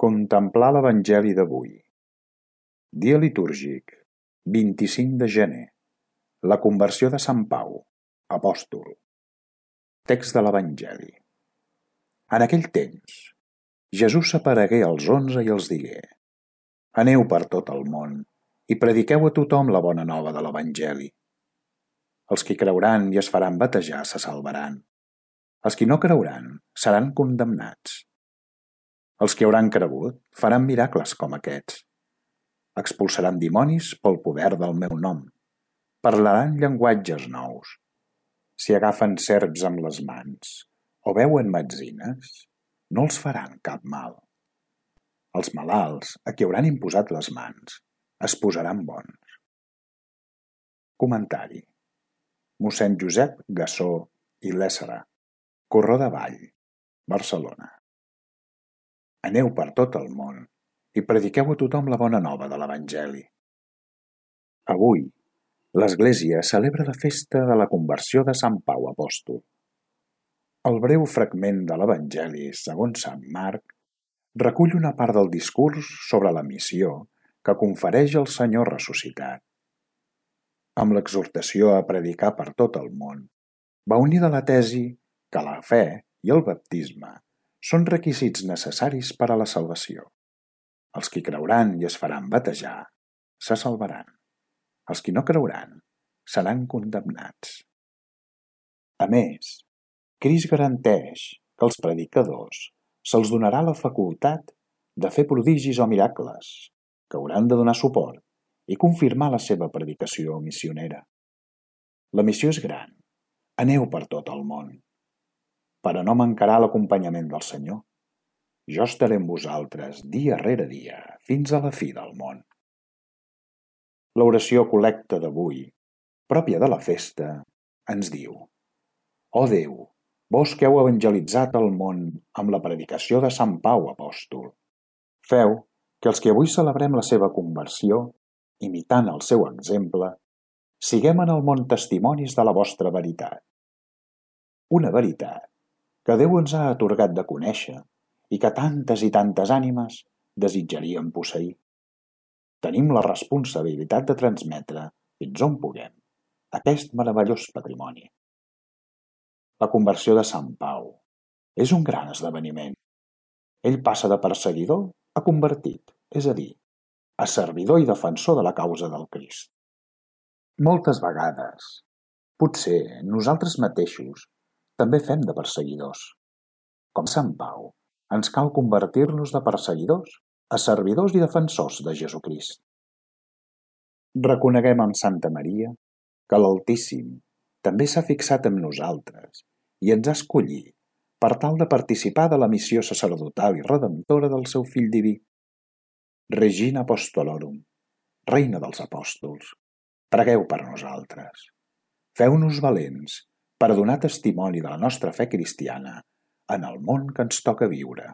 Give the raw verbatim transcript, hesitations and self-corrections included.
Contemplar l'Evangeli d'avui. Dia litúrgic, vint-i-cinc de gener. La conversió de Sant Pau, apòstol. Text de l'Evangeli. En aquell temps, Jesús s'aparegué als onze i els digué: Aneu per tot el món i prediqueu a tothom la bona nova de l'Evangeli. Els qui creuran i es faran batejar se salvaran. Els qui no creuran seran condemnats. Els que hauran cregut faran miracles com aquests. Expulsaran dimonis pel poder del meu nom. Parlaran llenguatges nous. Si agafen serps amb les mans o beuen metzines, no els faran cap mal. Els malalts, a qui hauran imposat les mans, es posaran bons. Comentari. Mossèn Josep Gassó i Lèssera, Corró de Vall, Barcelona. Aneu per tot el món i prediqueu a tothom la bona nova de l'Evangeli. Avui, l'Església celebra la festa de la conversió de Sant Pau apòstol. El breu fragment de l'Evangeli segons Sant Marc recull una part del discurs sobre la missió que confereix el Senyor ressuscitat. Amb l'exhortació a predicar per tot el món, va unida la tesi que la fe i el baptisme són requisits necessaris per a la salvació. Els qui creuran i es faran batejar se salvaran. Els qui no creuran seran condemnats. A més, Crist garanteix que als predicadors se'ls donarà la facultat de fer prodigis o miracles, que hauran de donar suport i confirmar la seva predicació missionera. La missió és gran. Aneu per tot el món. Però no mancarà l'acompanyament del Senyor. Jo estaré amb vosaltres dia rere dia fins a la fi del món. L'oració col·lecta d'avui, pròpia de la festa, ens diu: Ó Déu, vós que heu evangelitzat el món amb la predicació de Sant Pau apòstol, feu que els que avui celebrem la seva conversió, imitant el seu exemple, siguem en el món testimonis de la vostra veritat. Una veritat que Déu ens ha atorgat de conèixer i que tantes i tantes ànimes desitjarien posseir. Tenim la responsabilitat de transmetre, fins on puguem, aquest meravellós patrimoni. La conversió de Sant Pau és un gran esdeveniment. Ell passa de perseguidor a convertit, és a dir, a servidor i defensor de la causa del Crist. Moltes vegades, potser nosaltres mateixos també fem de perseguidors. Com Sant Pau, ens cal convertir-nos de perseguidors a servidors i defensors de Jesucrist. Reconeguem amb Santa Maria que l'Altíssim també s'ha fixat en nosaltres i ens ha escollit per tal de participar de la missió sacerdotal i redemptora del seu Fill diví. Regina Apostolorum, Reina dels Apòstols, pregueu per nosaltres. Feu-nos valents per donar testimoni de la nostra fe cristiana en el món que ens toca viure.